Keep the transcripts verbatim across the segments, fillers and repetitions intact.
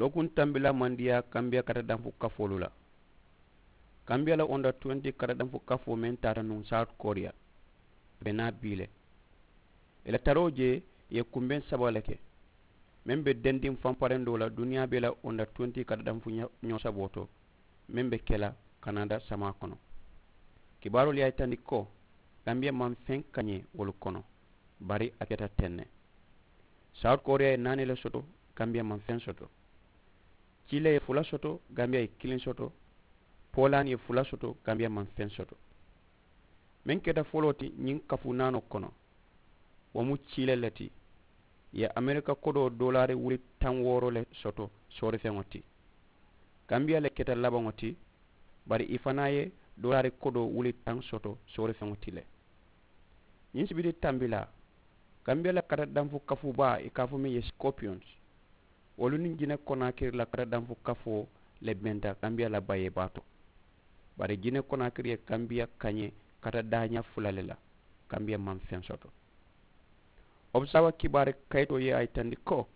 Lookuŋ tambilaa maŋ diyaa kambiya katadanfu kafoolu la. Kambiya la onda tuwenti katadanfu kafoo meŋ taata nuŋ sawuti koriya, a be naa bii le. Ì la taroo jee, ì ye kumbeŋ saba le ke, meŋ be dendiŋ fanparendoo la duniyaa bee la onda tuwenti katadanfu ñoo saboo to, meŋ be ke la kanada samaa kono. Kibaaroolu ye a yitandi ko kambiya maŋ feŋ kañee wolu kono, bari a keta teŋ ne. Sawuti koriya ye naani le soto, kambiya maŋ feŋ soto. Ciile ye fula soto, kambiya ye kiliŋ soto. Poolaani ye fula soto, kambiya maŋ feŋ soto. Meŋ keta foloo ti ñiŋ kafu naanoo kono, wo mu ciile le ti. Ì ye amerika kodoo doolaari wuli taŋ wooro le soto soorifeŋo ti. Kambiya le keta labaŋo ti, bari ì fanaa ye doolaari kodoo wuli taŋ soto soorifeŋo ti le. Ñiŋ sibiti tambilaa, kambiya la katadanfu kafu baa ì ka a fo meŋ ye sikopiyons, wolu niŋ jine konaakiri la katadanfu kafoo le benta kambiya la bayee baa to. Bari jine konaakiri ye kambiya kañee katadaañaa fula le la, kambiya maŋ feŋ soto. Observer kibaari kayitoo ye a yitandi ko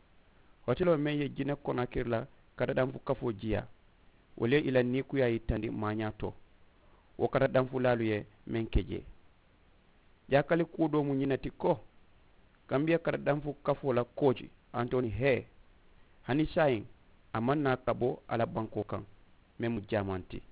hoteloo meŋ ye jine konaakiri la katadanfu kafoo jiyaa, wolu ye ì la niikuyaa yitandi maañaa to. Wo katadanfulaalu ye meŋ ke jee. Jaakali kuwo doo mu ñiŋ ne ti ko kambiya katadanfu kafoo la kooci, antoni hee, hani saayiŋ a maŋ naa ka bo a la bankoo kaŋ, meŋ mu jaamanti.